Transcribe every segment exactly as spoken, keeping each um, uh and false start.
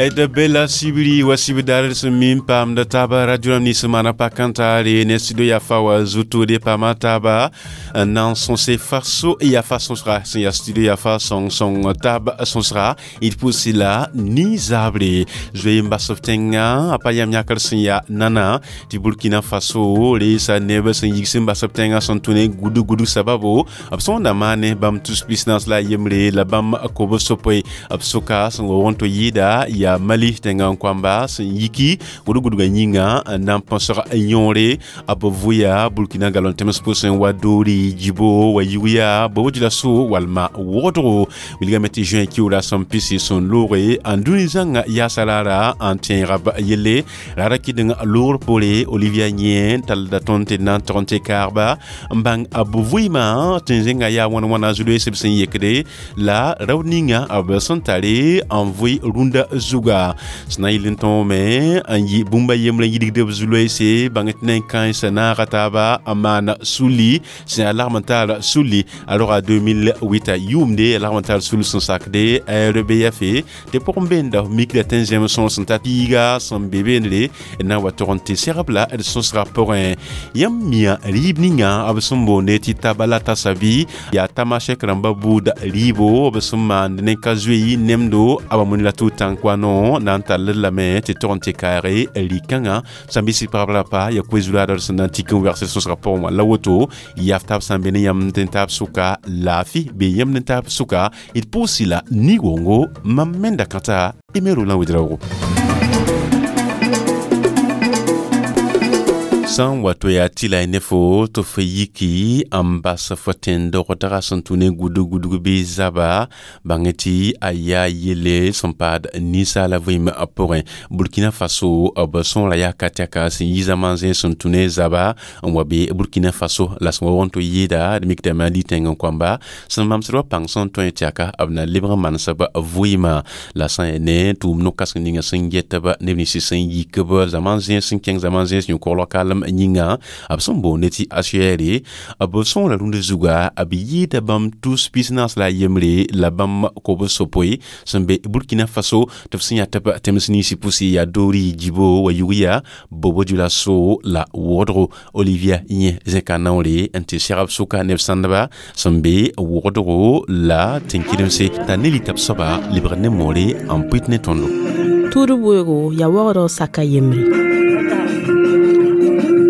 D bela sibiri wa sibidar sẽn mi n paamda taaba radio rãmb nins n maana pa-kãntaare ne studio yafa wa zuto de paama taaba n na n sõse faso yafa sõsga sẽn yaa studio yafa sõng sõng taab sõsga d pʋʋsɩ la nin-zaabre zoe n bas f tẽngã a pa yam yãkr sẽn yaa nana tɩ Burkina Faso reesa neb sẽn yigs n bas b tẽngã sẽn tũ ne gudg gudg sababo b sõnda maane bãmb tus pis-naas la a yembre la bãmb kob sopoe b sʋka sẽn wa wõn tɩ yɩɩda yaa Mali tẽngã n koamba sẽn yiki gudg gudgã yĩnga n na n põsg yõore b vʋya Burkina galon tẽms pʋsẽ wa doori Djibo wa yug yaa Bobo Dioulasso walma wogdgo wilgame tɩ juin kiuura sẽn pisi sẽn looge n dũni zãnga yaasa raara n tẽega b yelle raara kɩdeng loogr poore Olivia yẽ tallda tõnd tɩ d na n tog n tɩ kaagba n bãng b vɩɩmã tɩ zẽnga yaa wãn wãna zu-loees b sẽn yekde la raood ninga b sẽn tare n vʋɩ rũndã zuga sẽn na n yɩl n tõome n yɩ bũmb a yembre n yidgd b zu-loeese bãng tɩ nen-kãensã naaga taaba n maan suli sẽn yaa lagm n taar suli a roga deux mille huit yʋʋmde a lagm n taar sul sẽn sakde R B F tɩ pʋgẽ beenda f mikda tɩ n zẽm sõor sẽn ta piiga sẽn be beendre n na n wa tog n tɩ segb la d sõsga pʋgẽ. Yãmb mia rɩɩb ninga b sẽn boonde tɩ tabala tasabi yaa tamasɛk rãmba buud rɩɩbo b sẽn maand ne ka zoe nemdo a wa la tʋ tãnk-wano na n tall lame tɩ tog n tɩ kaage rɩ-kãngã sãn bɩ sɩ pagb rapa ya koe-zulaadr sẽn na n tik n wɛgs sõsga pʋgẽ wã la woto yaf taab sã n be ne yãmb tɩ n taab sʋka laafɩ bee yãmb ne taab sʋka d pʋʋsɩ la ni-wongo mam menda kãta Emero la Wedraogo. Sã n wa to yaa tɩ la y ne fo tɩ f yiki n bas f tẽn-dogdga sẽn tũ ne gudg gudg bɩ zaba bãng tɩ a yaa yelle sẽn paad ninsaala vɩɩm pʋgẽ. Burkina Faso b sõora yaa ka tɛka sẽn yi zãma zẽ sẽn tũ ne zaba n wa be Burkina Faso la sẽn wa wõn tɩ yɩɩda d mikdame Mali tẽng n koamba sẽn mamsd wa pãng sẽn tõe tɛka b na lebg n manesb vɩɩmã la sã n yaa ne tʋʋm no-kãseng ninga sẽn getb neb nins sẽn yik b zãma zẽns sẽn kẽng zãma zẽns yõ-koglg kalem yĩnga b sẽn boonde tɩ H C R b sõora rũndã zuga b yɩɩda bãmb tus pis-naas la a yembre la bãmb kob sopoe sẽn be Burkina Faso tɩ b sẽn yaa tɩ b tẽms ninsi pʋsɩ yaa doori Djibo wa yug yaa Bobo Dioulasso la wogdgo. Olivia yẽ zẽka naoore n tɩ segb sʋka neb sãndba sẽn be wogdgo la tẽn-kɩdemse t'a ne lita b soaba lebgd ne moore n pʋɩt ne tõndo. Tuud weoogo yaa waoodg saka yembre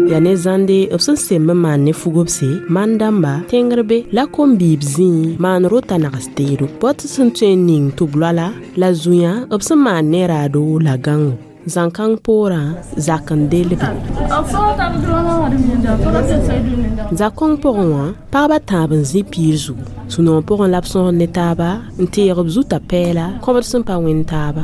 yaa ne zãnde b sẽn semb n maan ne fugobse maan-dãmba tẽngr be la kom-biib zĩig maan rota nags teedo bao tɩ sẽn tõe n ning tɩ b loala la zũyã b sẽn maan ne raado la gãngo zãn-kãng poorã zak n delbe. Zakõng pʋgẽ wã pagba tãab n zĩ piir zugu sũ-noog pʋgẽ la b sõsd ne taaba n teeg b zuta pɛɛla kõbd sẽn pa wẽnd taaba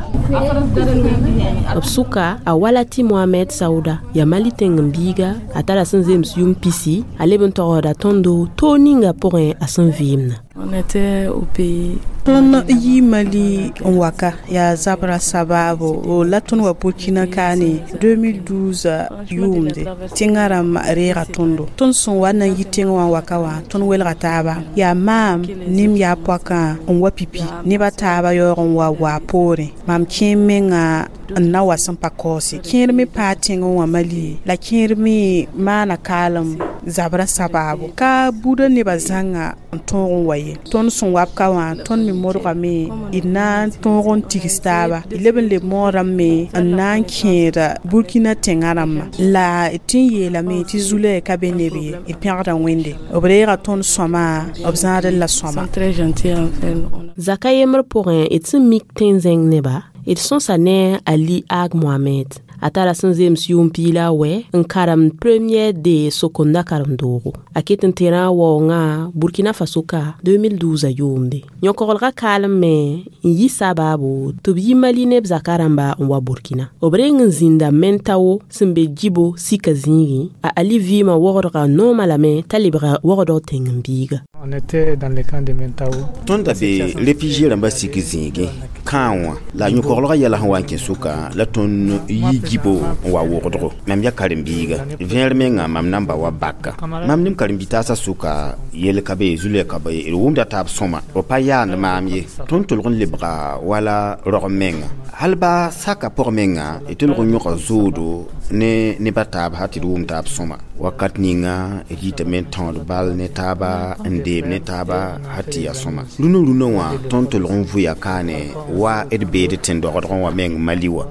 b sʋka a wala tɩ Mohamed Saouda yaa Mali tẽng n biiga a tara sẽn zems yʋm pisi a leb n togsda tõndo toog ninga pʋgẽ a sẽn vɩɩmdã. On était au pays. Tõnd yi Mali n wa ka yaa zabra sabaabo la tõnd wa Burkina kaane deux mille douze yʋʋmde tẽngã rãmb reega tõndo. Tõnd sẽn wa na n yi tẽng wã n wa ka wã tõnd welga taaba yaa maam nem yaa poakã n wa pipi neb a taaba yaoog n wa waa poorẽ mam kẽer menga n na wa sẽn pa kaoose kẽer me paa tẽngẽ wã Mali la kẽer me maana kaalem zabra sabaabo ka buudã nebã zãnga n tõog n wa ye. Tõnd sẽn wa b ka wã tõnd me modgame d na n tõog n tigs taaba d leb n leb moodame n na n kẽeda Burkina tẽngã rãmbã la d tɩ n yeelame tɩ zulɛ ka be neb ye d pẽgda Wẽnde b reega tõnd sõma b zãadl la sõma. Très gentils envers nous. Zaka yembr pʋgẽ d sẽn mik tẽn-zẽng neba d sõsa ne Ali Ag Mohamed a tara sẽn zems yʋʋm piig la a wɛ n karemd première D sokonda karem-doogo a ket n tẽra a waoongã Burkina Faso ka deux mille douze yʋʋmde yõ-koglgã kaalem me n yi sabaabo tɩ b yi Mali neb zaka rãmba n wa Burkina b reng n zĩnda Mentao sẽn be Djibo sika zĩigẽ. A Ali vɩɩmã wogdga noomã lame t'a lebga wogdg tẽng n biiga. On était dans le camp de Mentao. Tõnd da be réfugié rãmbã sik zĩigẽ kãa wã la yõ-koglgã yɛla sẽn wa n kẽ sʋka la tõnd yi gibo n wa wogdgo. Mam yaa karen-biiga vẽer menga mam na n ba wa baka mam ne m karen-bi-taasã sʋka yell ka be zulɛ ka be d wʋmda taab sõma b pa yaand maam ye. Tõnd tolg n lebga wala rog menga hal ba saka pʋg menga d tolg n yõka zoodo ne neb a taab sã tɩ d wʋm taab sõma. Wakat ninga d yitame n tãood bal ne taaba n deeb ne taaba sã tɩ yaa sõma. Rũnã rũnã wã tõnd tolg n vʋya kaane wa d beed tẽn-dogdgẽ wã meng Mali wã.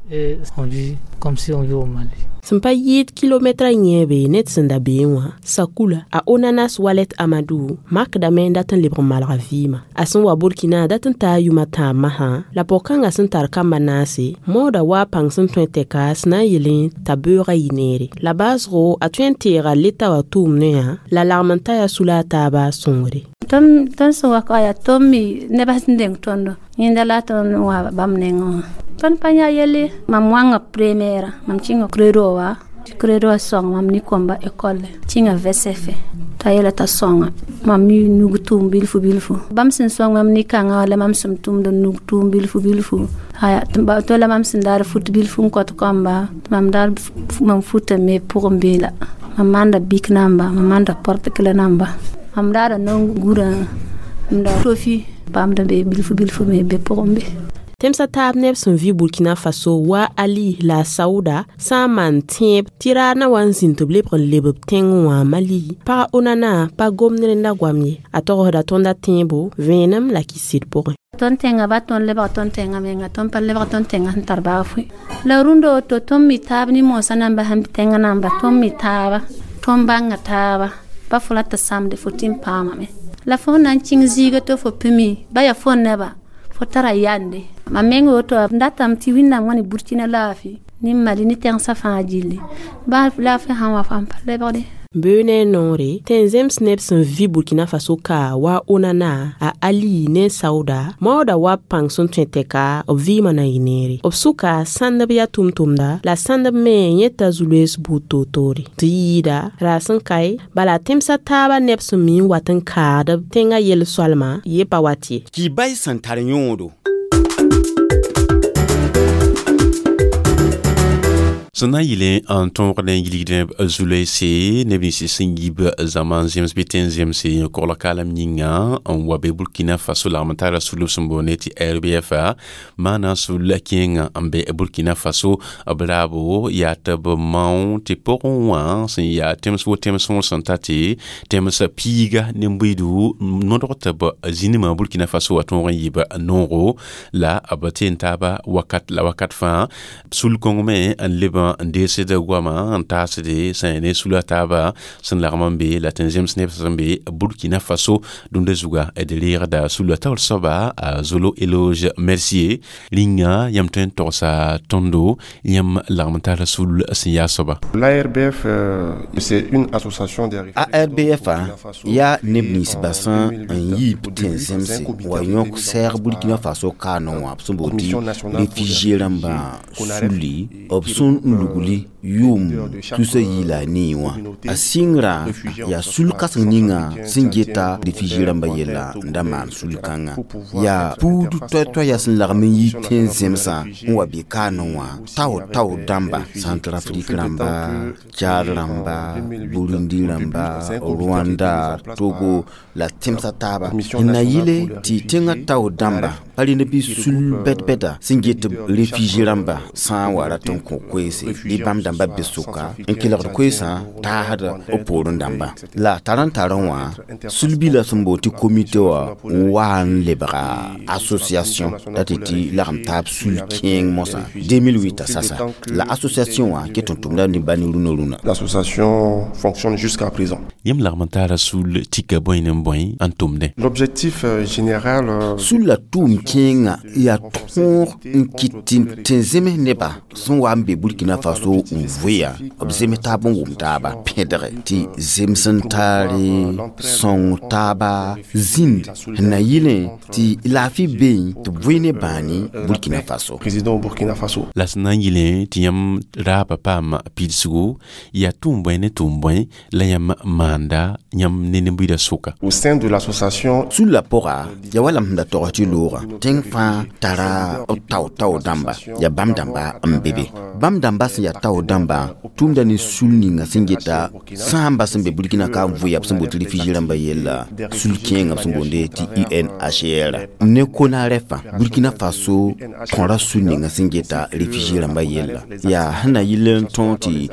Et on vit comme si on vit au Mali. Sẽn pa yɩɩd kilometrã yẽebe ned sẽn da beẽ wã sakula a Onanas Walet Amadou makdame n dat n lebg n malga vɩɩmã. A sẽn wa Burkina dat n taa yʋm a tãab masã la pog-kãngã sẽn tar kamba naase maooda wa pãng sẽn tõe tɛka sẽn na n yeelẽ t'a beoogã yɩ neere. La baoosgo a tõe n teega leta wã tʋʋm-noyã la lagm n ta yaa sula a taaba sõngre. Tõnd sẽn wa ka yaa tõnd me nebã sẽn deng tõndo yẽnda la tõnd wa bãmb nengẽ wã. Tõnd pa yã yelle mam wãnga première mam kẽnga credo wa credo wa sõng mam ne kõmba école kẽnga V C F t'a yeela t'a sõnga mam mi nug tʋʋm bilfu bilfu. Bãmb sẽn sõng mam ne-kãngã la mam sẽn tʋmd n nug tʋʋm bilfu bilfu aya to la mam sẽn daar fut bilfu n kõt kõmba mam daar mam futa me pʋgẽ bee la mam maanda bik namba mam maanda porte-clé namba mam daara non-gurã m da tofi bãmb da be bilfu bilfu me be pʋgẽ be. Tẽmsã taab neb sẽn vɩ Burkina Faso wa Ali la Sauda sã n maan tẽeb tɩ raar na wa n zĩnd tɩ b lebg n leb b tẽngẽ wã Mali pag Onana pa gomd rẽnda goam ye. A togsda tõnda tẽebo vẽenem la kɩsd pʋgẽ. Tõnd tẽngã ba tõnd lebg tõnd tẽngã menga tõnd pa lebg tõnd tẽngã sẽn tar baafo la rũndã woto tõnd mi taab ne moosã namba sẽn tẽngã namba tõnd mi taaba tõnd bãnga taaba pa fo la tɩ samde fo tɩ n paamame la fo na n kẽng zĩiga tɩ fo pĩmi ba yaa fo neba fo tara yande. Mam meng woto m datame tɩ Wẽnnaam wã ne Burkina laafɩ ne Mali ne tẽngsã fãa gilli ba laafɩ sãn wa fãa pa lebgde. Beoog ne a noore tẽn-zems neb sẽn vɩ Burkina Faso ka wa Onana a Ali ne Sauda maooda wa pãng sẽn tõe tɛka b vɩɩmã na yɩ neere. B sʋka sãndb yaa tʋm-tʋmda la sãndb me yẽta zu-loees buud toor-toore tɩ yɩɩda ra sẽn kae bala tẽmsã taabã neb sẽn mi n wat n kaad b tẽngã yel-soalmã ye pa wat ye. Kibay sẽn tar yõodo. Sẽn na n yɩle n tõog ne yilgdẽ zu-loeese neb nins sẽn yib zãma n zems bɩ tẽn zemse kogl kaalem yĩnga n wa be Burkina Faso lagm n tara sulb sẽn boonde tɩ R B F maana sul kẽenga n be Burkina Faso b raabo yaa tɩ b mao tɩ pʋgẽ wã sẽn yaa tẽms wo tẽms sõor sẽn ta tɩ tẽms piiga nin-buiidu nodg tɩ b zĩnimã Burkina Faso wa tõog n yɩ b noogo la b teen taaba wakat la wakat fãa sul kõng me n leb n deesd goamã n taasde sẽn ne sula taaba sẽn lagm n be la tẽn zems neb sẽn be Burkina Faso dũnda zuga d reegda sula taoor soaba a Zolo Éloge Mercier rĩnga yãmb tõe n togsa tõndo yãmb lagm n tara sul sẽn yaa soaba. L'A R B F, euh, c'est une association des A R B F yaa neb ninsbã sẽn n yiib tẽn zemse wa yõk sɛɛg Burkina Faso kaanẽ wã b sẽn boond tɩ réfugié rãmbã sulli b sẽn n lugli yʋʋm tusa yiila nii wã. A sɩngrã yaa sul-kãseng ninga sẽn geta réfugié rãmbã yella n da maan sul-kãngã yaa puud toay-toaya sẽn lagm n yi tẽn zemsã n wa be kaanẽ wã tao tao dãmba Centrafrique rãmba, Tchad rãmba, Burundi rãmba, Rwanda, Togo la tẽmsã taaba n na yɩle tɩ tẽngã tao dãmba pa rẽnd bɩ sul bɛd-bɛda sẽn get réfugié rãmba sã n wa rat n kõ koeese bɩ bãmb dãmba be sʋka n kelgd koeesã taasd b poorẽ dãmba la tar n tar wã sul-bilã sẽn boond tɩ comité wã n wa n lebga association la tɩ tɩ lagm taab sul-kẽeng mosã deux mille huit sasa la association wã ket n tʋmda ne ba ne rũnã rũnã. L'association fonctionne jusqu'à présent. Yãmb lagm n taara sul tika bõe ne bõe n tʋmdẽ? L'objectif euh, général euh, Sul la tʋʋm kẽengã yaa tõog n kɩt tɩ tẽn zems nebã sẽn wa n be Burkina Faso n sẽn vʋɩa b zems taab n wʋm taaba pẽdge tɩ zems n taare sõng taaba zĩnd sẽn na yɩlẽ tɩ laafɩ beẽ tɩ b vʋɩ ne bãani Burkina Faso. Président Burkina Faso. La sẽn na n yɩlẽ tɩ yãmb raaba paam pidsgo yaa tʋʋm bõe ne tʋʋm bõe la yãmb maanda yãmb ne ne-buiidã sʋka. Au sein de l'association sulla pʋga ya wala m sẽn da tog tɩ loogã tẽng fãa tara b tao-tao dãmba yaa bãmb dãmba n be be bãmb dãmba sẽn yaa tao dãmbã tʋʋmda ne sul ninga sẽn geta sãamba sẽn be Burkina ka n vʋɩa b sẽn boond tɩ réfugié rãmbã yella sul kẽengã b sẽn boonde tɩ U N H R ne CONAREF Burkina Faso kõra sul ninga sẽn geta réfugié rãmbã yella yaa sẽn na yɩl n tõog tɩ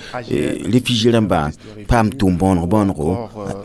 réfugié rãmbã paam tʋʋm bõonego bõonego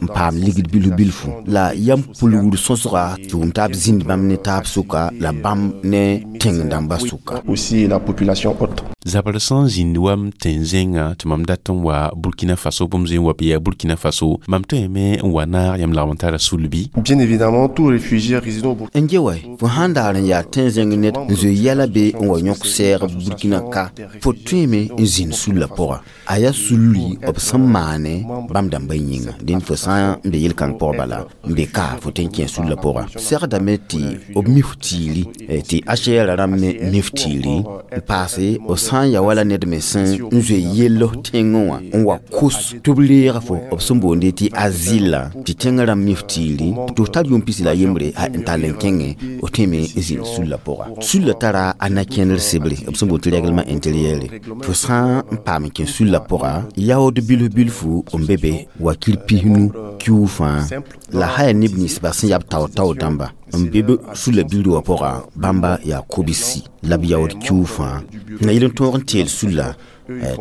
n paam ligd bilf bilfu la yam pulgr sõsga tɩ wʋm taab zĩnd bãmb ne taab sʋka la bãmb ne tẽng dãmbã sʋka. Aussi la population hôte. Zabr sẽn zĩnd wam tẽn-zẽngã tɩ mam dat n wa Burkina Faso bũmb zoe n wa bɩ yaa Burkina Faso mam tõeme n wa naag yãmb lagm n tara sulbi. Bien évidemment, tout réfugié résident au Burkina N ge wa fo sãn daar n yaa tẽn-zẽng ned n zoe yɛla be n wa yõk sɛɛg Burkina ka fo tõeme n zĩnd sulla pʋga a yaa sulli b sẽn maane bãmb dãmbã yĩnga dẽnd fo sã n be yel-kãng pʋg bala n be ka fo tõe n kẽ sulla pʋga segdame tɩ b mif tiiri tɩ H C R rãmb me mif tiiri n paase b sã n ya wala ned me sẽn n zoe yell tẽngẽ wã n wa kos tɩ b reega fo b sẽn boonde tɩ asile tɩ tẽngã rãmb mif tiiri tɩ f tar yʋʋm pisi la a yembre n tall n kẽngẽ f tõeme n zĩnd sulla pʋga sulla tara a na-kẽnder sebre b sẽn boond tɩ règlement intérieur fo sã n paam n kẽ sulla pʋga yaood bilf bilfu n be be wakir pisnu kiuug fãa la sã yaa neb ninsba sẽn yaa b tao-tao dãmba n be b sulla bildi wã pʋga bãmba yaa kobsi la b yaood kiuug fãa na yɩl n tõog n teel sulla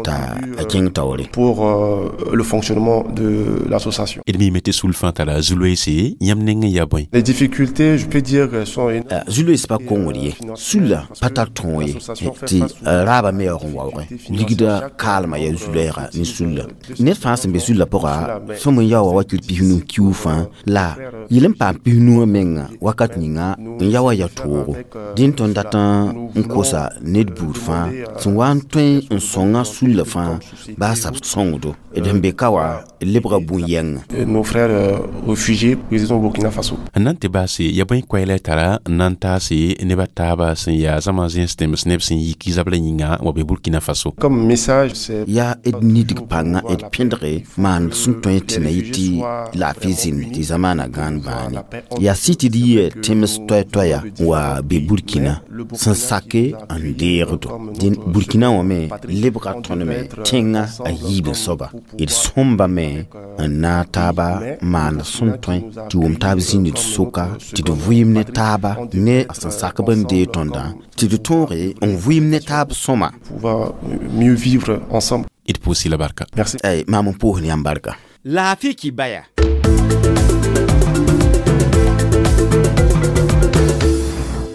t'a a kẽng taoore. Pour euh, le fonctionnement de l'association. D miime tɩ sul fãa tara zu-loeese yãmb neng n yaa bõe? Les difficultés, je peux dire qu'elles sont énormes. Zu-loees pa kongd ye sulla pa tar tõog ye tɩ raabã me yaoog n waoogẽ ligda kaalmã yaa zu-loɛɛga ne sulla ned fãa sẽn be sulla pʋga sõm n yaoa wakir pisnu kiuug fãa la yɩl n paam pisnuwã menga wakat ninga n ya wa ya toogo dẽn tõnd dat n kosa ned buud fãa sẽn wa n tõe n sõnga sulla fãa baa sab sõngdo d sẽn be ka wa lebga bũn-yɛngã. Nos frères euh, réfugiés résidant au Burkina Faso. N na n tɩ baase ya bõe koɛɛla tara n na n taase nebã taaba sẽn yaa zãma zẽns tẽms neb sẽn yik zabra yĩnga wa be Burkina Faso? Comme message, c'est yaa d nidg pãngã d pẽdge maan sẽn tõe tɩ na yɩ tɩ laafɩ zĩnd tɩ zamaana gãan bãane yaa sɩ tɩ d yɩ tẽms toɛ-toɛya n wa be Burkina sẽn sake n deegdo dẽn Burkina wã me lebga tõnd me tẽngã a yiib n soaba d sõmbame n naag taaba maand sẽn tõe tɩ wʋm taab zĩnd d sʋka tɩ d vɩɩm ne taaba ne sẽn sak b n deeg tõndã tɩ d tõoge n vɩɩm ne taab sõma. Pouvoir mieux vivre ensemble. D pʋʋs la barka. Merci. Ay maam n pʋʋs ne yãmb barka laafɩ kibaya.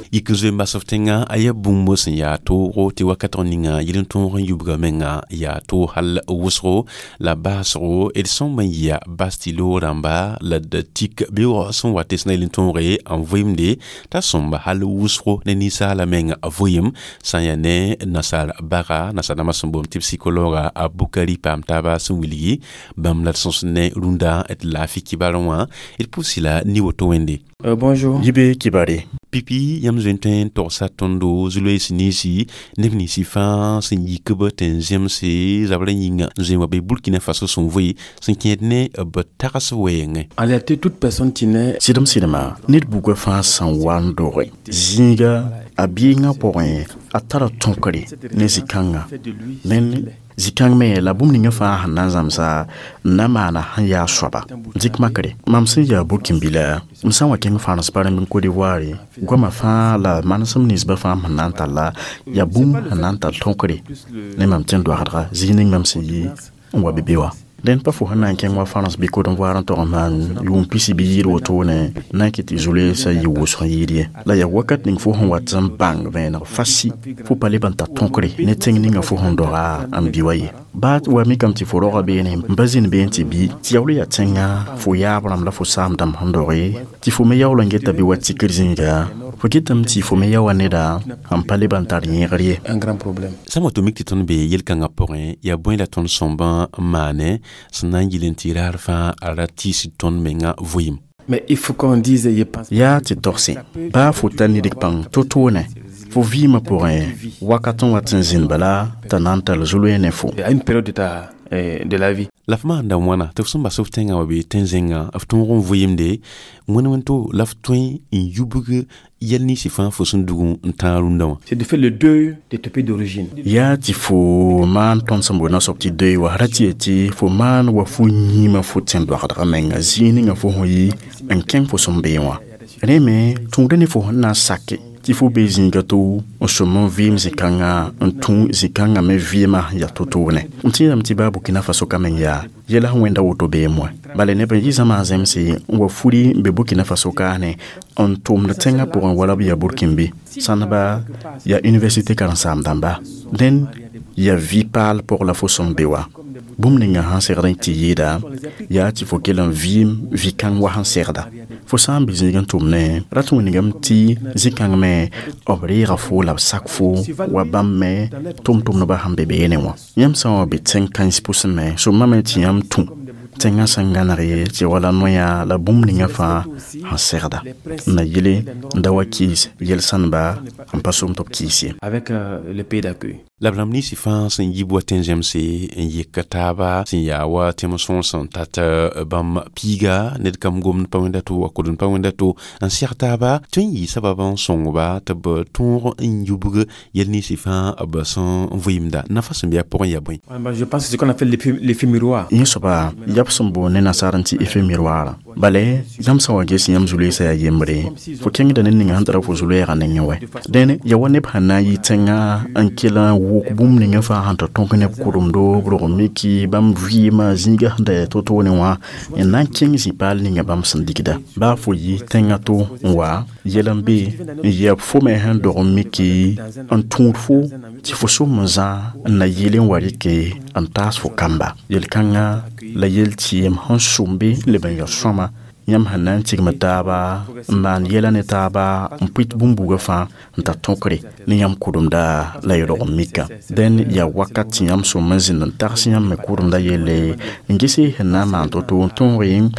Yik n zoe n bas f tẽngã a yaa bũmb sẽn yaa toogo tɩ wakatg ninga yɩl n tõog n yubga menga yaa toog hal wʋsgo la baasgo d sõmb n yɩa bas tɩ loog rãmba la d tik bɩ waoog sẽn wa tɩ sẽn na yɩl n tõoge n vɩɩmde t'a sõmba hal wʋsgo ne ninsaala meng vɩɩm sã n yaa ne nasaar baga nasaar dãmbã sẽn boond tɩ psikolooga a Bukari paam taaba sẽn wilgi bãmb la d sõs ne rũndã d laafɩ kibarẽ wã d pʋʋs la ni woto wẽnde. Euh, bonjour. Yibe kibare. Pipi yãmb zoe n tõe n togsa tõndo zu-loees ninsi neb ninsi fãa sẽn yik b tɩ n zemse zabrã yĩnga n zoe n wa be Burkina Faso sẽn vʋɩ sẽn kẽed ne b tags wɛɛngẽ. En réalité, toute personne qui naît Sɩdem sɩdema ned bugã fãa sẽn wa n doge zĩiga a biigã pʋgẽ a tara tõkre ne zĩ-kãngã ned zĩ-kãng me la bũmb ninga fãa sẽn na n zãmsa n na maana sẽn yaa soaba dɩk makre mam sẽn yaa burkĩnbila m sã n wa kẽng fãans barẽmb n Côte d'Ivoire goamã fãa la manesem ninsbã fãa sẽn na n talla yaa bũmb sẽn na n tar tõkre ne mam tẽn doagdga zĩig ning mam sẽn yi n wa be be wã dẽnd pa fo sẽn na n kẽng wa fãns bɩ Côte d'Ivoire n tog n maan yʋʋm pisi bɩ yɩɩd wotone na n kɩt tɩ zu-loeesã yɩ wʋsg n yɩɩd ye la yaa wakat ning fo sẽn wat n bãng vẽeneg fasi fo pa leb n tar tõkre ne tẽng ninga fo sẽn doga n bi wa ye baa wa mikame tɩ fo roga beene n pa zĩnd beene tɩ bi tɩ yaool yaa tẽngã fo yaab rãmb la fo saam dãmb sẽn doge tɩ fo me yaool n geta bɩ wa tikr zĩiga Fo kɩtame tɩ fo me ya wa neda n pa leb n tar yẽgr ye. Un grand problème. Sã n wa tɩ mik tɩ tõnd be yel-kãngã pʋgẽ, yaa bõe la tõnd sõmbã n maane sẽn na n yɩl n tɩ raar fãa a ra tiisd tõnd menga vɩɩm? Mais il faut qu'on dise, je pense. Yaa tɩ togse baa fo ta nidg pãng to-toone fo vɩɩmã pʋgẽ wakat n wat n zĩnd bala t'a na n tall zu-loe ne fo. À une période de ta eh, de la vie. La f maanda wãna tɩ f sẽn bas f tẽngã wa bee tẽn-zẽngã f tõog n vɩɩmde wẽnd wẽn-to la f tõe n yubg yɛl ninsã fãa fo sẽn dug n tãag rũndã wã. C'est de faire le deuil de ton pays d'origine. Yaa tɩ fo maan tõnd sẽn boond soab tɩ deuil wa ra tɩ ye tɩ fo maan wa fo yĩmã fo tẽn-doagdgã menga zĩig ninga fo sẽn yi n kẽng fo sẽn bee wã. Rẽ me tũuda ne fo sẽn na n sake tɩ fo be zĩiga to n sõm n vɩɩm zĩ-kãngã n tũ zĩ-kãngã me vɩɩmã yaa to-toone. M tẽedame tɩ baa Burkina Faso ka meng yaa yɛla sẽn wẽnda woto beem wã. Bala neb n yɩ zãma zemse n wa furi n be Burkina Faso kaane n tʋmd tẽngã pʋgẽ wala b yaa Burkinbe. Sãneba yaa université karen-saam-dãmba. Dẽn yaa vɩ-paal pʋg la fo sẽn be wã. Bũmb ninga sãn segd n tɩ yɩɩda yaa tɩ fo kell n vɩɩm vɩ-kãng wa sẽn segda. Fo sã n be zĩig n tʋmne rat wĩnigame tɩ zĩ-kãng me b reega fo la b sak fo wa bãmb me tʋm-tʋmdbã sẽn be beene wã. Yãmb sã n wa be tẽng kãens pʋsẽ me sõmame tɩ yãmb tũ tẽngã sẽn gãneg ye tɩ wala noya la bũmb ninga fãa sẽn segda. N na yele n da wa kɩɩs yel-sãnba n pa som tɩ b kɩɩs ye. Avec euh, le pays d'accueil. La b rãmb ninsã fãa sẽn yib wa tẽn-zẽmse n yek taaba sẽn yaa wa tẽm sõor sẽn tat bãmb piiga ned kam gomd pa wẽnda to wa kʋdend pa wẽnda to n seg taaba tõe n yɩ sabab n sõngba tɩ b tõog n yubg yɛl ninsã fãa b sẽn vɩɩmda. Nafa sẽn be a pʋgẽ yaa bõe? Ouais, bah, je pense que c'est ce qu'on appelle l'effet l'effet miroir. Yẽ soaba yaa b sẽn boond ne nasaar n tɩ effet miroir. Bala yãmb sã n wa ges yãmb zu-loeesã yaa yembre fo kẽngda ned ninga sẽn tara fo zu-loɛɛgã nengẽ wɛ. Dẽn yaa wa neb sẽn na n yɩ tẽngã n kell n wʋk bũmb ninga fãa sẽn tɩ tõk neb kʋremdo b rog miki bãmb vɩɩmã zĩigã sẽn da yaa to-toone wã n na n kẽng zĩ-paal ninga bãmb sẽn digda. Baa fo yɩ tẽngã to n wa yɛl n be n yɛb fo me sẽn dog n miki n tũud fo tɩ fo som n zã n na yɩl n wa rɩke n taas fo kamba. Yel-kãngã la yel tɩɩm sẽn sʋmbe n leb n ya sõama yãmb sẽn na n tigm taaba n maan yɛla ne taaba n pʋɩt bũmb-buugã fãa n tar tõkre ne yãmb kʋremda la y rog n mika. Dẽn yaa wakat tɩ yãmb sõm n zĩnd n tags yãmb me kʋremda yelle n gese sẽn na n maan to-to n tõog n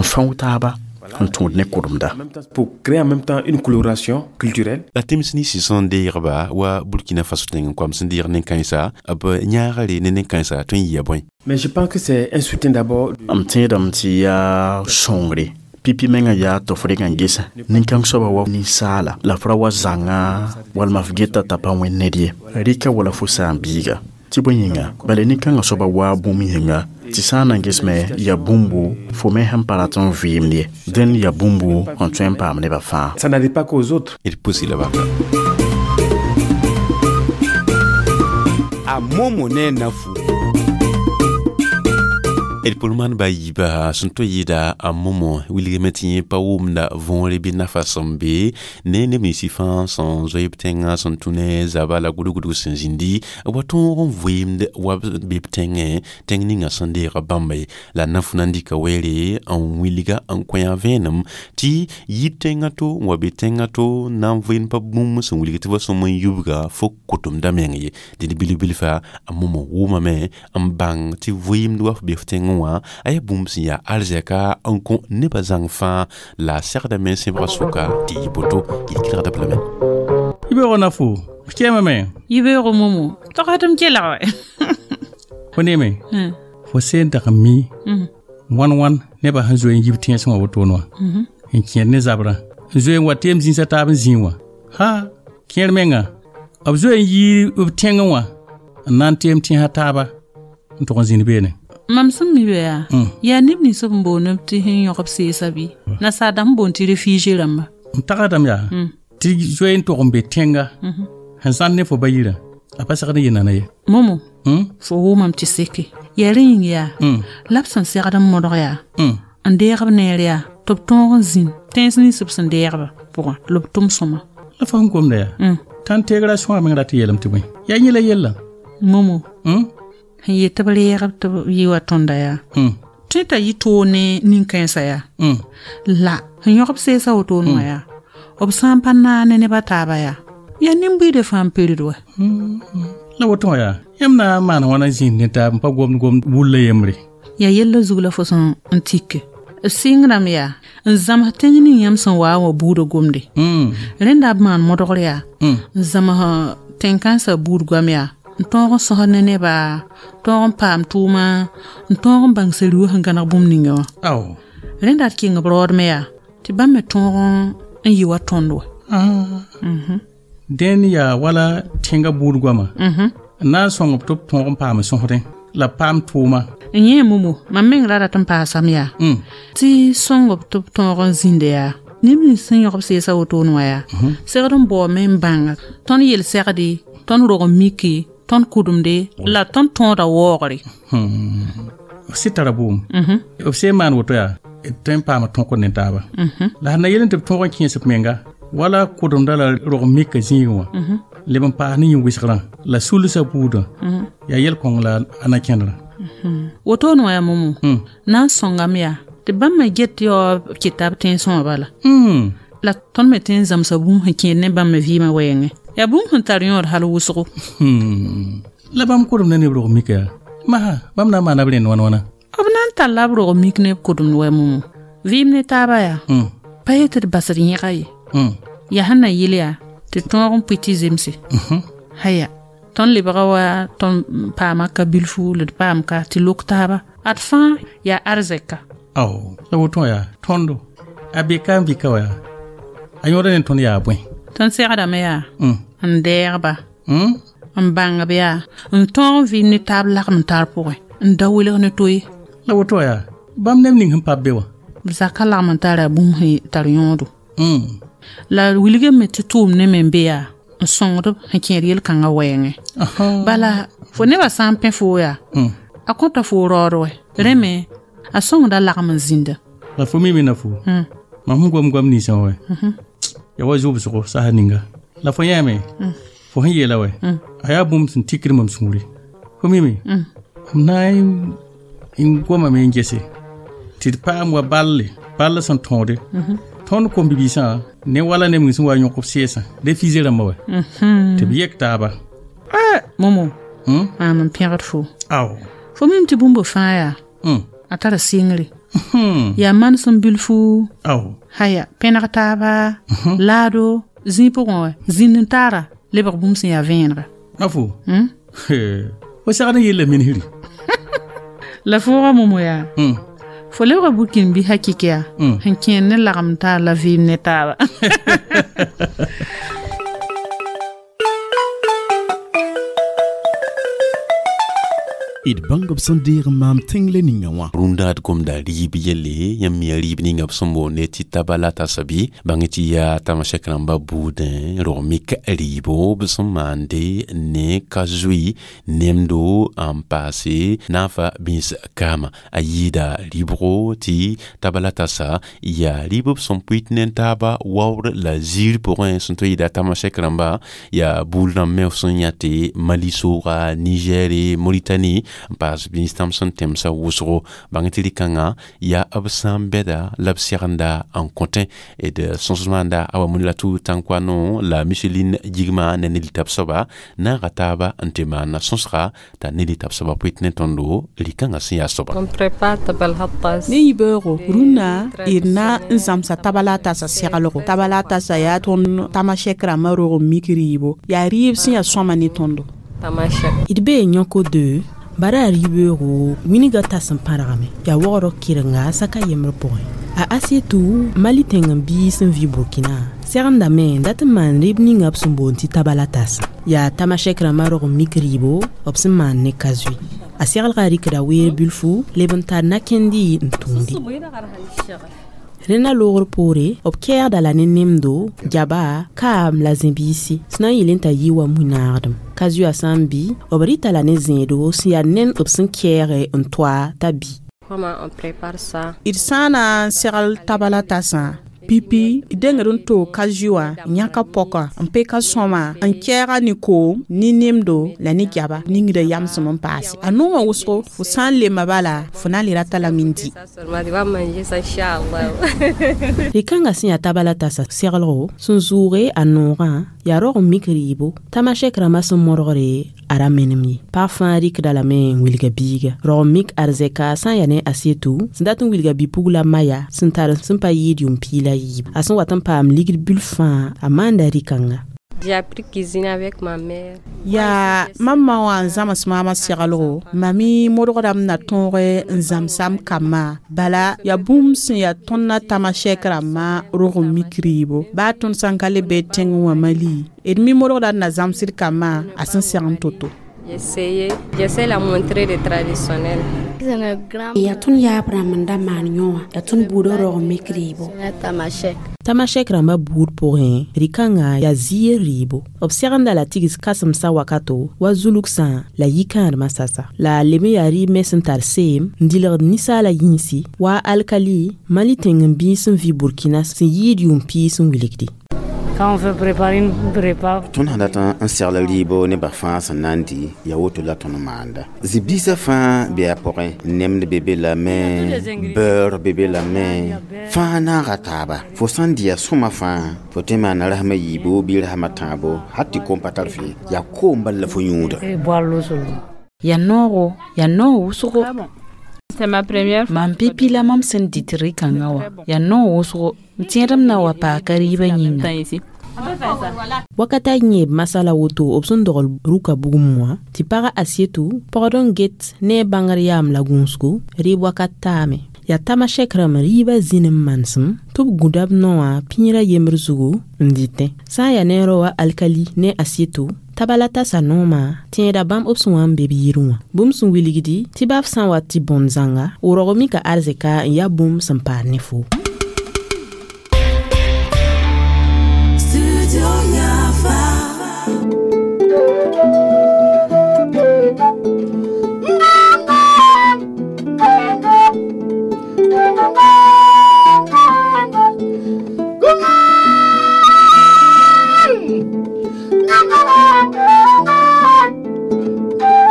fãoo taaba n tũud ne kʋremda. Pour créer en même temps une coloration culturelle. La tẽms ninsã sẽn deegba wa Burkina Faso tẽng n koam sẽn deeg nen-kãensa b yãagre ne nen-kãensa tõe n yɩa bõe? Mais je pense que c'est un soutien d'abord. M tẽedame tɩ yaa sõngre pipi menga yaa tɩ f reg n gesa nin-kãng soaba wa ninsaala la f ra wa zãnga walma f geta t'a pa wẽnd ned ye rɩka wala fo saam-biiga tɩ bõe yĩnga bala nin-kãngã soaba waa bũmb yĩnga tɩ sã n na n gesme yaa bũmbu fo me sẽn pa rat n vɩɩmd ye dẽn yaa bũmbu n tõe n paam nebã fãa. Ça n'arrive pas qu'aux autres. D pusi la baka. A momo ne nafu. D pʋl maan ba yiiba sẽn tõe yɩɩda a momo wilgame tɩ yẽ pa wʋmda võore bɩ nafa sẽn be ne neb ninsã fãa sẽn zoe b tẽngã sẽn tũ ne zaba la gʋdg-gʋdg sẽn zĩndi wa tõog n vɩɩmd wa b be b tẽngẽ tẽng ninga sẽn deega bãmba ye la naf na n dɩka weere n wilga n kõ yã vẽenem tɩ yɩ tẽngã to n wa be tẽngã to na n vɩɩnd pa bũmb sẽn wilg tɩ ba sõm n yubga fo kotemda meng ye. Dẽd bilf-bilfa a momo wʋmame n bãng tɩ vɩɩmd wa f be f tẽngẽ wã a yaa bũmb sẽn yaa arzɛka n kõ nebã zãng fãa la a segdame n sẽbga sʋka tɩ yɩ boto yel-kelgda b lame. Yibeoogo na fo f kɛɛmame. Yibeoogo momo togdm kelg wɛ. Fo neeme fo seen dag n mi wãn wãn nebã sẽn zoe n yib tẽesẽ wã wotone wã n kẽed ne zabrã n zoe n wa teem zĩnsã taab n zĩig wã ha kẽer menga b zoe n yii b tẽngẽ wã n na n teem tẽsã taaba n tʋg n zĩnd beene. Mam sẽn mi be yaa yaa neb nins b n boond tɩ sẽn yõg b seesa bɩ nasaar dãmb n boond tɩ réfugié rãmba. M tagsdame yaa tɩ zoe n tʋg n be tẽnga sẽn zãnd ne fo ba yirã a pa segd n yɩ nana ye. Momo fo wʋmam tɩ seke yaa rẽ yĩng yaa la b sẽn segd n modg yaa n deeg b neer yaa tɩ b tõog n zĩnd tẽns nins b sẽn deegba pʋgã la b tʋm sõma. La fo sẽn gomda yaa t'a n tegra sõa meng rat n yeelame tɩ bõe yaa yẽ la yella. Momo sẽn yet tɩ b reegb tɩ b yɩ wa tõnda yaa tõe t'a yɩ toog ne nin-kãensã yaa la sẽn yõg b seesã wotone wã yaa B sã n pa naane neb a taaba yaa yaa nin-buiidã fãa n pirid wa la woto wã yaa yãmb na n maan wãna zĩnd ne taab n pa gomd gomd wulla yembre yaa yella zug la fo sẽn n tike b sɩngrame yaa n zãms tẽng ning yãmb sẽn waa wã buudã gomde rẽnda b maan modgr yaa n zãms tẽn-kãensã buud goam yaa n tõog n sõsd ne neba tõog n paam tʋʋma n tõog n bãng seri-wã sẽn gãneg bũmb ninga wã rẽnda d kɩng b raoodme yaa tɩ bãmb me tõog n yɩ wa tõnd wa dẽn yaa wala tẽngã buud goama n na n sõng b tɩ b tõog n paam sõsdẽ la paam tʋʋma n yẽ momo mam meng ra rat n paasam yaa tɩ sõng b tɩ b tõog n zĩnda yaa neb nins sẽn yõg b seesã wotone wã yaa segd n baoome n bãnga tõnd yel-segde tõnd rog n mike tõnd kʋdemde la tõnd tõoda waoogre b sɩ tara bʋʋm b sẽn maan woto yaa d tõe n paama tõkd ne taaba la sẽn na yel tɩ b tõog n kẽes b menga wala kʋdemda la rog n mika zĩigẽ wã leb n paas ne yĩn-wɩsgrã la sulsã buudã yaa yel-kõng la a na kẽndrã wotone wã yaa momo na n sõngame yaa tɩ bãmb me get yao b kɩta b tẽnsẽ wã bala la tõnd me tõe n zãmsa bũmb sẽn kẽed ne bãmb me vɩɩmã wɛɛngẽ yaa bũmb sẽn tar yõod hal wʋsgo la bãmb kʋdemda ne b rog mika yaa masã bãmb na n maana b rẽnd wãn wãna b na n talla b rog mik ne b kʋdemd wa momo vɩɩm ne taaba yaa pa yet tɩ d basd yẽga ye yaa sẽn na yɩl yaa tɩ tõog n pʋɩ tɩ zemse haya tõnd lebga wa tõnd paama ka bilfu la d paam ka tɩ lok taaba ad fãa yaa arzɛka ao la woto wã yaa tõndo a be ka n vɩka wa yaa a yõoda ne tõnd yaa bõe tõnd segdame yaa n dɛɛgba n bãngb yaa n tõog n vɩɩm ne taab lagem n tar pʋgẽ n da welg ne to ye la woto wã yaa bãmb neb ning sẽn pa be wã b zaka lagem n tara bũmb sẽn tar yõodo la wilgame tɩ tʋʋm ne me n be yaa n sõngd sẽn kẽed yel-kãngã wɛɛngẽ bala fo nebã sã n pẽ foo yaa a kõta foo raood wɛ rẽ me a sõngda lagem n zĩnda la fo mi me na fo mam sẽn gom goam ninsã wɛ ya wa zʋbsgo sasa ninga la fo yãame fo sẽn yeela wɛ a yaa bũmb sẽn tikd mam sũure fo mime m na n gomame n gese tɩ d paam wa balle ball sẽn tõode tõnd kom-bibiisã ne wala neb ning sẽn wa yõk b seesã refusé rãmbã wɛ tɩ b yek taaba momo maam n pẽgd fo ao fo mim tɩ bũmb fãa yaa a tara sɩngre yaa manesem bilfu haya pẽneg taaba laado zĩig pʋgẽ wɛ zĩnd n taara lebg bũmb sẽn yaa vẽenega a fo fo segd n yella minsri la fooga momo yaa fo lebga burkin bɩ hakɩk yaa sẽn kẽer ne lagem taar la vɩɩm ne taaba d bãng b sẽn deeg n maam tẽng le ninga wã rũndã d gomda rɩɩb yelle yãmb mi rɩɩb ninga b sẽn boonde tɩ tabala tasa bɩ bãng tɩ yaa tamasɛk rãmbã buudẽ rog mik rɩɩbo b sẽn maande ne ka zoe nemdo n paase naafa bĩns kaama a yɩɩda rɩbgo tɩ tabala tasa yaa rɩɩb b sẽn pʋɩt ne taaba waoor la ziir pʋgẽ sẽn tõe yɩɩda tamasɛk rãmba yaa buud rãmb me sẽn yãte Mali sooga Nigɛre Moritani n paas bĩns tãm sẽn tẽmsã wʋsgo bãng tɩ rɩ-kãngã yaa b sã n bɛda la b segenda n kõtẽ d sõsd maanda a wa la Tãnkoano la Micheline Gigma ne Neli tab soaba naaga taaba n tɩ maana sõsga t'a Neli tab soaba pʋɩt ne tõndo rɩ-kãngã sẽn yaa soaba ne yibeoogo rũnnã d na n zãmsa tabala tasa seglgo tabala tasa yaa tõnd tamasɛk rãmbã rog n mik rɩɩbo yaa rɩɩb sẽn yaa sõama ne tõndo d bee yõko de bara a rɩ-beoogo wĩnigã tas n pãrgame yaa waoogrã kɩrenga saka yembr pʋgẽ a Asietu Mali tẽng n biis n vɩ Burkina segendame n dat n maan rɩɩb ninga b sẽn boond tɩ tabala tasa yaa tamasɛk rãmbã rog n mik rɩɩbo b sẽn maan ne ka zoe a seglga rɩkda weer bilfu leb n tar na-kẽndi n tũudi rẽnda loogr poore b kɛɛgda la ne nemdo gaba kaam la zẽ-biisi sẽn na n yɩl n t'a yɩ wa mui-naagdem ka zoa sã n bɩ b rɩta la ne zẽedo sẽn yaa nend b sẽn kɛɛge n toa t'a bi d sã n na n segl tabala tasã Pipi dengd n toog ka zoe wã n yãka pɔkã n peka sõma n kɛɛga ne koom ne nemdo la ne gaba ningda yamsem n paase a noomã wʋsgo fo sã n lemma bala fo na n le rata lame n dɩ. Rɩ-kãngã sẽn yaa taba la tasa seglgo sẽn zʋʋge a noogã yaa rog n mik rɩɩbo tamasɛk rãmbã sẽn modgre a ra menem ye pag fãa rɩkda lame n wilga biiga rog n mik arzɛka sã n yaa ne asetu sẽn dat n wilga bi-pugla maya sẽn tar sẽn pa yɩɩd yʋʋm piig la yiib a sẽn wat n paam ligd bil fãa a maanda rɩ-kãnga. J'ai appris cuisiner avec ma mère. Yaa mam ma wã n zãms maamã seglgo mam modgdame na tõog n zãmsam kambã bala yaa bũmb sẽn yaa tõnd na tamasɛk rãmbã rog n mik rɩɩbo baa tõnd sã n ka le be tẽngẽ wã Mali d mi modgda n na zãmsd kambã a sẽn segn to-to. J'essayais, j'essaie la montrer le traditionnel. Yaa tõnd yaab rãmb n da maan yõ wã yaa tõnd buudã rog n mik rɩɩbo. Tamasɛk rãmbã buud pʋgẽ rɩ-kãngã yaa ziir rɩɩbo b segenda la tigs kãsemsã wakato wa zulugsã la yikãadmã sasa la a lem n yaa rɩɩb me sẽn tar seem n dilgd ninsaala yĩnsi wa alkali Mali tẽng n biis n vɩ Burkina sẽn yɩɩd yʋʋm piig sẽn wilgdi. Quand on veut préparer une repas, Tõnd sã dat n segl rɩɩbo nebã fãa sẽn na n dɩ yaa woto la tõnd maanda zĩ-biisã fãa bɩ a pʋgẽ nemd be be lame beurre be be lame fãa naaga taaba fo sã n dɩ ya sõma fãa fo tõe n maana rasmã yiibo bɩ rasmã tãabo hal tɩ kom pa tar fɩ yaa koom bal la fo yũuda. Et boire l'eau seulement. Yaa noogo yaa noog wʋsgo. C'est ma première Mam pipi la mam sẽn dɩt rɩ-kãngã wã yaa noog wʋsgo m tẽedm na wa paaka rɩɩbã yĩnga. Ici. Wakata yẽeb masala woto b sẽn dogl rʋka bugum wã tɩ pagã asietu pɔgd n get ne a bãngr yaam la gũusgo rɩɩb wakat taame yaa tamasɛk rãmb rɩɩbã zĩn n manesem tɩ b gũda b no wã pĩirã yembr zugu n dɩtẽ sã n yaa ne rao wa alkali ne asietu taba la tasa noomã tẽeda bãmb b sẽn wa n be b yirẽ wã bũmb sẽn wilgdi tɩ baa f sã n wa tɩ bõnd zãnga w rog mika arzɛka n yaa bũmb sẽn paad ne fo.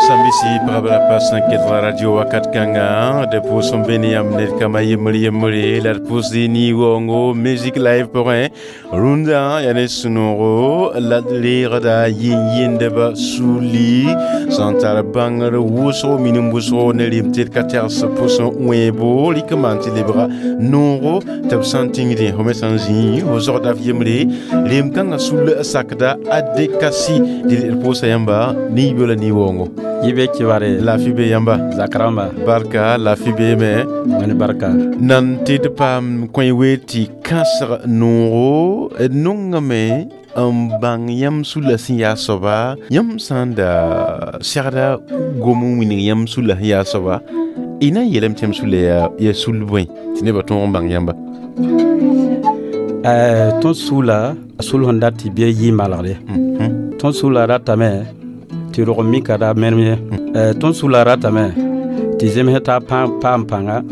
Sambisi pagba la pa sẽn ket radio wakat kãnga d pʋʋs n be ne yãmb ned kambã yembr yembre la d pʋʋsd ni-waoongo musique live pʋgẽ rũndã yaa ne sũ-noogo la d reegda yĩn-yĩndbã suli sẽn tar bãngr wʋsgo minim wʋsgo ne rem tɩ d ka tɛgs pʋsẽ wẽebo rɩk n maan tɩ lebga noogo tɩ b sã n tĩngdẽ fo me sã n zĩ fo zogda f yembre rem kãngã sul sakda adekasi dɩ d pʋʋsa yãmba niibyo la ni-waoongo. Yibe kibare. Lafi be yãmba. Zakaramba. Barka lafi be me. Wẽnd barka. Nan tɩ d paam kõ we tɩ kãsg noogo d nongame n bãng yãmb sulla sẽn yaa soaba yãmb sã n da segda gom n wilg yãmb sulla sẽn yaa soaba y na n yeelame tɩ yãmb sulla yaa yaa sul bõe tɩ nebã tõog n bãng yãmba. Tõnd sula a sul sẽn dat tɩ bɩ yɩ malgre tõnd sula ratame tɩ rog mika ra menem ye tõnd sula ratame tɩ zems taa paam pãnga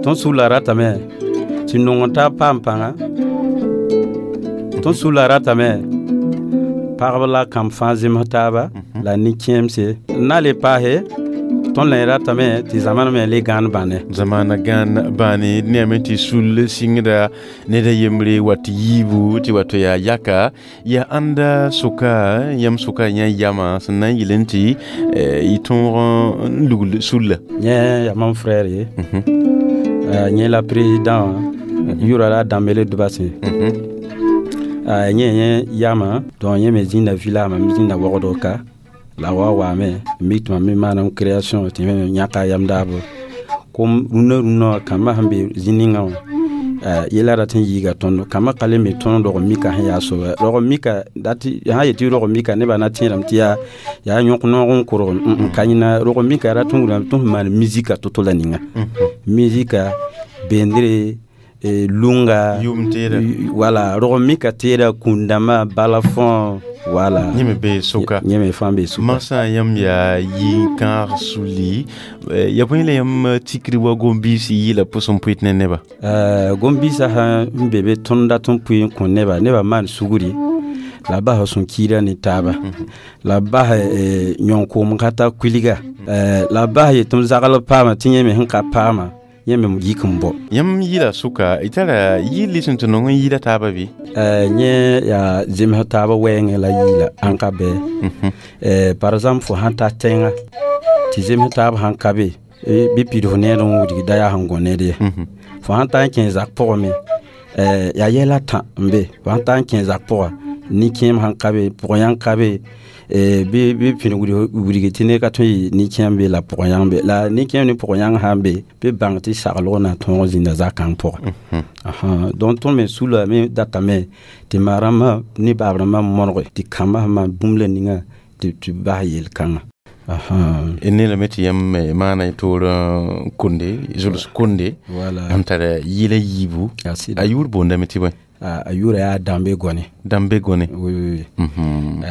tõnd sula ratame tɩ nong taa paam pãnga tõnd sula ratame pagb la kãmb fãa zems taaba la nin-kẽemse n na le paase tõnd la ratame tɩ zamana me le gãan bãne. Zamana gãan bãane d neame tɩ sul sɩngda ned a yembre wa tɩ yiibu tɩ wato yaa yaka yaa ãnda soka yãmb soka yã yamã sẽn na n yel n tɩ y tõog n lugl sulla. Yẽ yaa mam frère ye yẽ la président wã yʋra la Dambele Dubasẽ yẽ yẽ yamã donc yẽ me zĩnda village mam zĩnda wogdg ka la wa waame mi tɩ mam me maanam création tɩ me yãka yam daabo kom rũnã rũnã wã kambã sẽn be zĩ ninga wã yella rat n yiiga tõndo kambã ka le me tõnd rog mika sẽn yaa soaba rog mika dat sã yet tɩ rog mika nebã na tẽedame tɩ yaa yaa yõk noog n korgem ka yẽna rog mika rat n wilgame tɩ sẽn maan musika to-to la ninga musika bendre lunga wala rog mika teeda kũndãmbã balafõ. Voilà. Yẽ me bee sʋka. Yẽ me fãa bee sʋka. Mansã yãmb yaa yɩ-kãag suli ya bõe la yãmb tikri wa gom-biis yɩla pʋs n pʋɩt ne neba? Gom-biisã sãn be be tõnd dat n pʋɩ n kõ neba, nebã maan sugri la bas sẽn kiida ne taaba, la bas yõn-koom ka ta kuilga, la bas yetɩ m zagl paama tɩ yẽ me sẽn ka paama yẽ me yik n bɔ. Yãmb yɩla sʋka y tara yɩl sẽn tɩ nong n yɩɩda taaba bɩ? Yẽ yaa zems taab wɛɛngẽ la yɩɩla ãn ka bɩ. Par exemple fo sãn ta tẽnga tɩ zems taab sãn ka be bɩ pid fo need n wudg da yaa sẽn gõ ned ye. Fo sãn ta n kẽ zak pʋgẽ me yaa yɛla tã n be. Fo sãn ta n kẽ zak pʋga nin-kẽem sãn ka be pʋg-yãng ka be bɩ bɩ pĩd wudg tɩ ned ka tõe n yɩ nin-kẽem be la pʋg-yãng be la nin-kẽem ne pʋg-yãng sãn be bɩ bãng tɩ saglg na tõog zĩnda zakãng pʋgẽ. Donc tõnd me sulame datame tɩ ma-rãmbã ne baab-rãmbã modge tɩ kambã sẽn maan bũmb la ninga tɩ bas yel-kãngã. Ne lame tɩ yãmb maana y toor konde zuls konde yãmb tara yɩla yiibu a yʋʋr boondame tɩ bõe? A yʋʋra yaa Dãmbe Gone. Dãmbe Gone. Oui, oui, oui.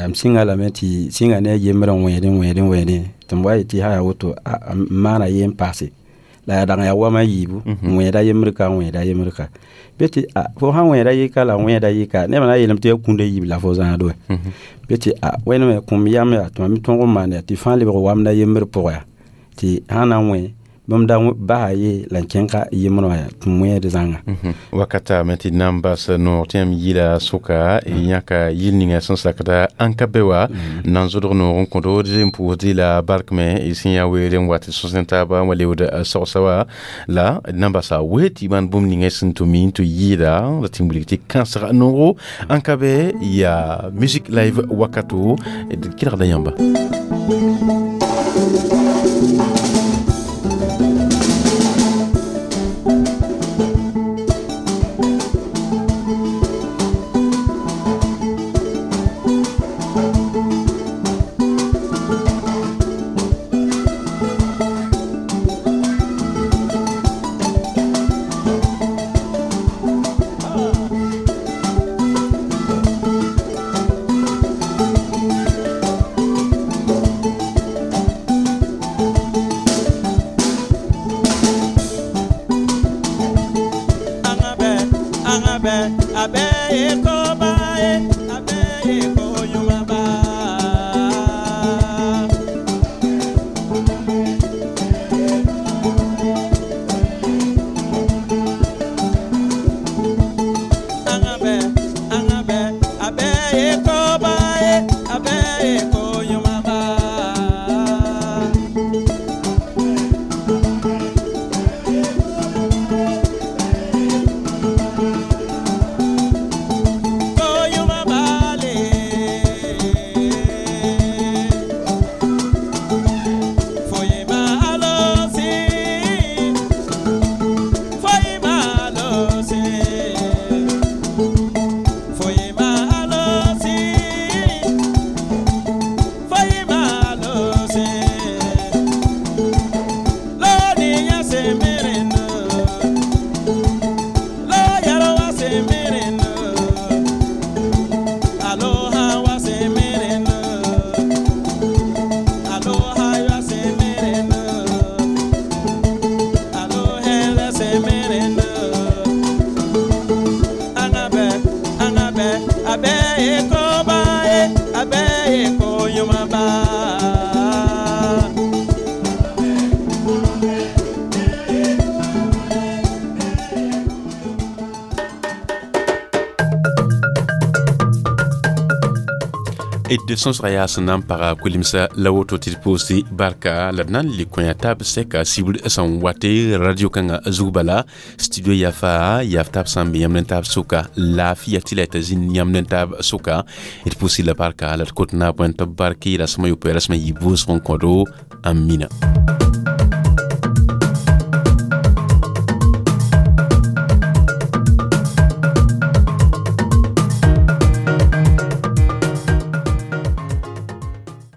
M sɩnga lame tɩ sɩnga ne a yembrã n wẽedẽ wẽedẽ wẽedẽ tɩ m wa yetɩ sã yaa woto m maana ye n paase la yaa dag yaa wama yiibu n wẽeda yembr ka n wẽeda yembr ka bɩ tɩ fo sãn wẽeda yɩka la wẽeda yɩka nebã na yeelame tɩ yaa kũunda yiib la fo zãad wɛ bɩ tɩ wẽnd me kũm yam yaa tɩ mam tõog n maan yaa tɩ fãa lebg wamda yembr pʋgã yaa tɩ sã na n wẽ bãmb da basa ye la n kẽnga yembrã wã tɩ m wẽed zãnga. Wakata me tɩ na n bas noog tɩ yãmb yɩla sʋka yãka yɩl ninga sẽn sakda ãn ka be wa n na n zodg noog n kõdo d n pʋʋsd la bark me y sẽn yaa weere n wa tɩ sõs ne taaba n wa leood sogsa wa la d na n basa wee tɩ maan bũmb ninga sẽn tʋ mi n tɩ yɩɩda la tɩ n wilg tɩ kãnsga noogo ãn ka be yaa music live wakato d kelgda yãmba. D sõsga yaa sẽn na n paga kolimsã la woto tɩ d pʋʋsdɩ barka la d na n le kõ yaa taab sɛka sibr sẽn wate radio kãngã zug bala studio yafa yaaf taab sã n be yãmb ne taab sʋka laafɩya tɩ la y t'a zĩnd yãmb ne taab sʋka d pʋʋsdɩ la barka la d kot naab wẽn tɩ b barke la sõma yopoe rasmã yɩ vʋʋsg n kõdo amina.